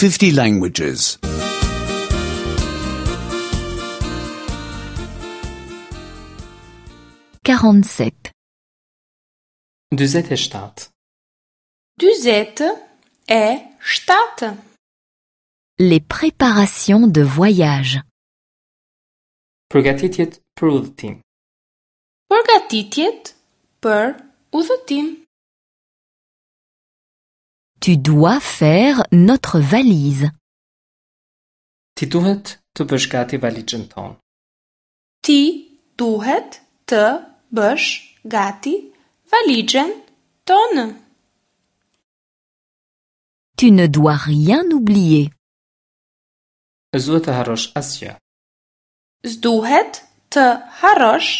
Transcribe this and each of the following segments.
50 languages. 47. 47. 47. Les préparations de voyage. Përgatitjet për udhëtim. Përgatitjet për udhëtim. Tu dois faire notre valise. Ti duhet të bësh gati valixhen tonë. Ti duhet të bësh gati valixhen tonë. Tu ne dois rien oublier. S'duhet të harrosh asgjë. S'duhet të harrosh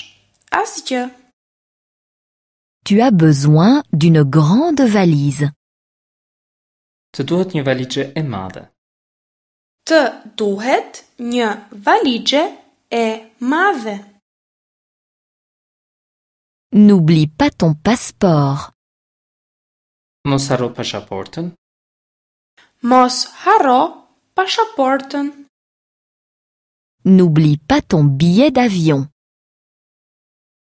asgjë. Tu as besoin d'une grande valise. Të duhet një valixhe e madhe. Të duhet një valixhe e madhe. N'oublie pas ton passeport. Mos harro pasaportën. Mos harro pasaportën. N'oublie pas ton billet d'avion.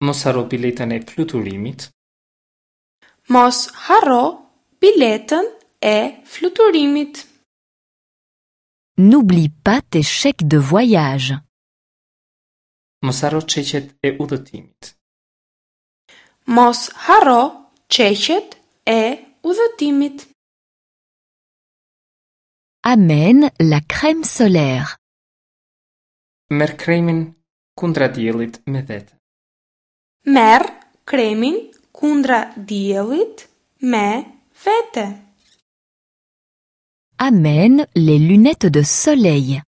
Mos harro biletën e fluturimit. Mos harro biletën e fluturimit. N'oublie pas tes chèques de voyage. Mos harro çeqet e udhëtimit. Mos harro çeqet e udhëtimit. Amène la crème solaire. Merr kremin kundra diellit me vete. Merr kremin kundra diellit me vete. Amène les lunettes de soleil.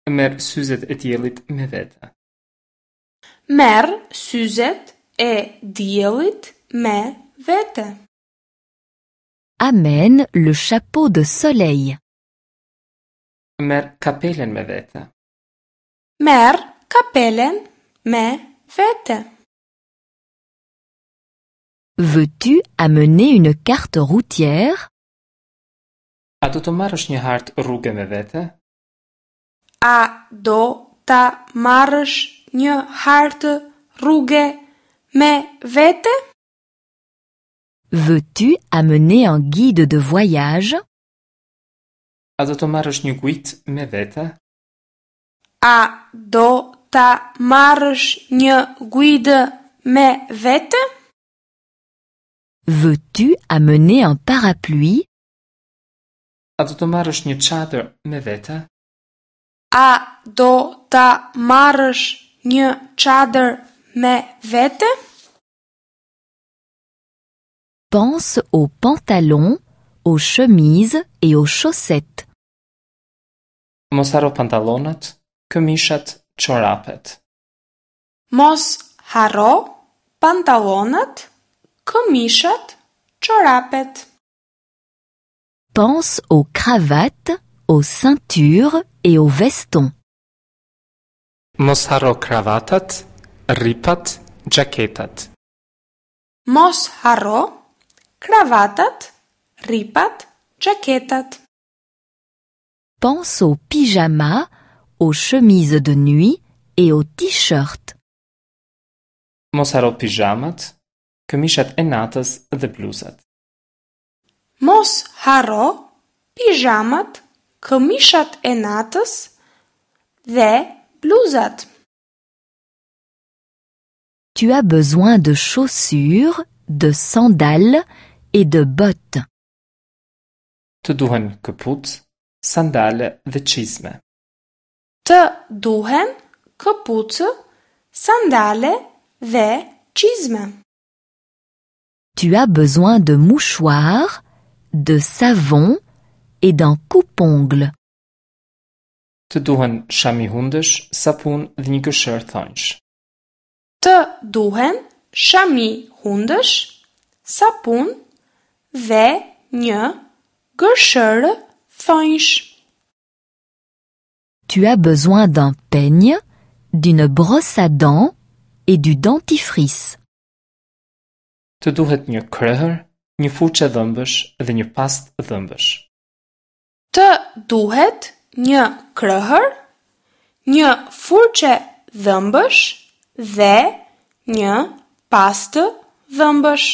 Merr syzet e diellit me vete. Merr syzet e diellit me vete. Amène le chapeau de soleil. Merr kapelen me vete. Merr kapelen me vete. Veux-tu amener une carte routière? A do të marrësh një hartë rruge me vete? A do ta marrësh një hartë rruge me vete? Veux-tu amener un guide de voyage? A do të marrësh një guidë me vete? A do ta marrësh një guidë me vete? Veux-tu amener un parapluie? A do të marrësh një çadër me vete? A do ta marrësh një çadër me vete? Pense aux pantalons, aux chemises et aux chaussettes. Mos harro pantallonat, këmishat, çorapet. Mos harro pantallonat, këmishat, çorapet. Pense aux cravates, aux ceintures et aux vestons. Mos harro kravatat, rripat, xhaketat. Mos harro kravatat, rripat, xhaketat. Pense aux pyjamas, aux chemises de nuit et aux t-shirts. Mos harro pijamat, këmishat e natës dhe bluzat. Mos harro pijamat, këmishat e natës dhe bluzat. Tu as besoin de chaussures, de sandales et de bottes. Të duhen këpucë, sandale dhe çizme. Të duhen këpucë, sandale dhe çizme. Tu as besoin de mouchoirs, de savon et d'un coupe-ongles. Të duhen shami hundësh, sapun dhe një gërshërë thonjsh. Të duhen shami hundësh, sapun dhe një gërshërë thonjsh. Tu as besoin d'un peigne, d'une brosse à dents et du dentifrice. Të duhet një krehër, një furçë dhëmbësh dhe një pastë dhëmbësh. Të duhet një krëhër, një furçe dhëmbësh dhe një pastë dhëmbësh.